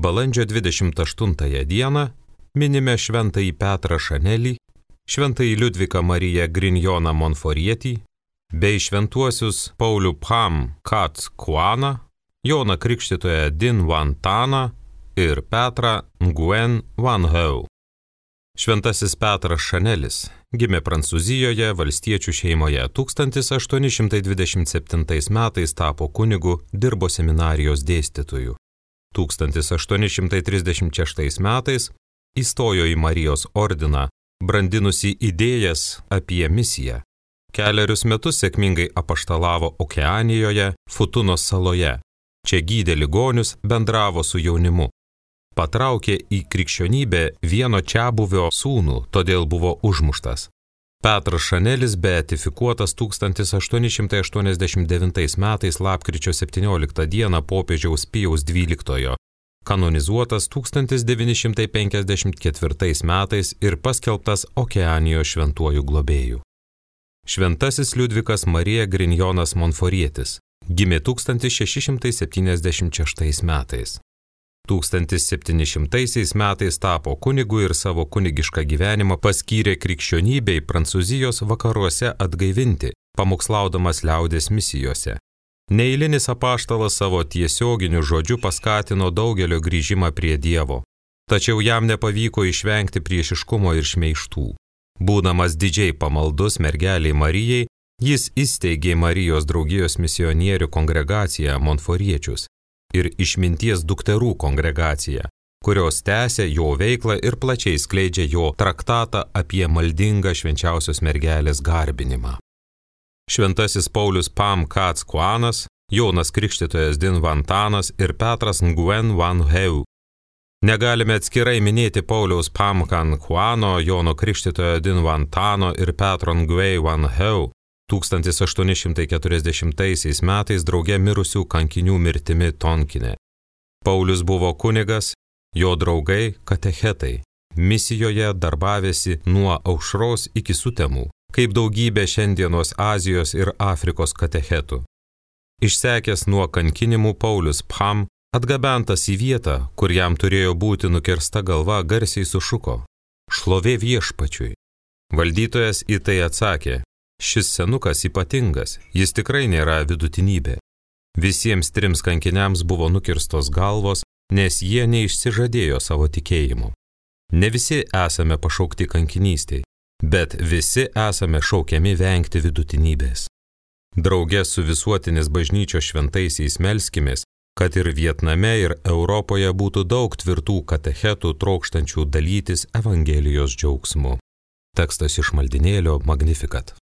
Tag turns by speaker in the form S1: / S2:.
S1: Balandžio 28 dieną minime šventąjį Petrą Šanelį, šventąjį Liudviką Mariją Grignoną Monforietį, bei šventuosius Paulių Pham Kat Kuaną, Joną Krikštytoją Din Van Taną ir Petrą Nguyen Van Heu. Šventasis Petras Šanelis gimė Prancūzijoje valstiečių šeimoje. 1827 metais tapo kunigu, dirbo seminarijos dėstytoju. 1836 metais įstojo į Marijos ordiną, brandinusi idėjas apie misiją. Kelerius metus sėkmingai apaštalavo Okeanijoje, Futunos saloje. Čia gydė ligonius, bendravo su jaunimu. Patraukė į krikščionybę vieno čiabuvio sūnų, todėl buvo užmuštas. Petras Šanelis beatifikuotas 1889 metais lapkričio 17 dieną popiežiaus Pijaus XII, kanonizuotas 1954 metais ir paskelbtas Okeanijos šventuoju globėju. Šventasis Liudvikas Marija Grignonas Monforietis gimė 1676 metais. 1700 metais tapo kunigu ir savo kunigišką gyvenimą paskyrė krikščionybei Prancūzijos vakaruose atgaivinti, pamokslaudamas liaudės misijose. Neeilinis apaštalas savo tiesioginiu žodžiu paskatino daugelio grįžimą prie Dievo, tačiau jam nepavyko išvengti priešiškumo ir šmeižtų. Būdamas didžiai pamaldus mergeliai Marijai, jis įsteigė Marijos draugijos misionierių kongregaciją Monforiečius ir išminties dukterų kongregaciją, kurios tęsė jo veiklą ir plačiai skleidžia jo traktatą apie maldingą švenčiausios mergelės garbinimą. Šventasis Paulius Pham Kat Kuanas, Jonas Krikštytojas Din Van Tanas ir Petras Nguyen Van Heu. Negalime atskirai minėti Pauliaus Pham Kat Kuano, Jono Krikštytojo Din Van Tano ir Petro Nguyen Van Heu 1840 metais drauge mirusių kankinių mirtimi Tonkine. Paulius buvo kunigas, jo draugai katechetai, misijoje darbavėsi nuo aušros iki sutemų, kaip daugybė šiandienos Azijos ir Afrikos katechetų. Išsekęs nuo kankinimų Paulius Pham, atgabentas į vietą, kur jam turėjo būti nukirsta galva, garsiai sušuko: šlovė viešpačiui. Valdytojas į tai atsakė: šis senukas ypatingas, jis tikrai nėra vidutinybė. Visiems trims kankiniams buvo nukirstos galvos, nes jie neišsižadėjo savo tikėjimu. Ne visi esame pašaukti kankinystei, bet visi esame šaukiami vengti vidutinybės. Drauge su visuotinės bažnyčios šventaisiais melskimės, kad ir Vietname ir Europoje būtų daug tvirtų katechetų trokštančių dalytis Evangelijos džiaugsmu. Tekstas iš maldinėlio Magnificat.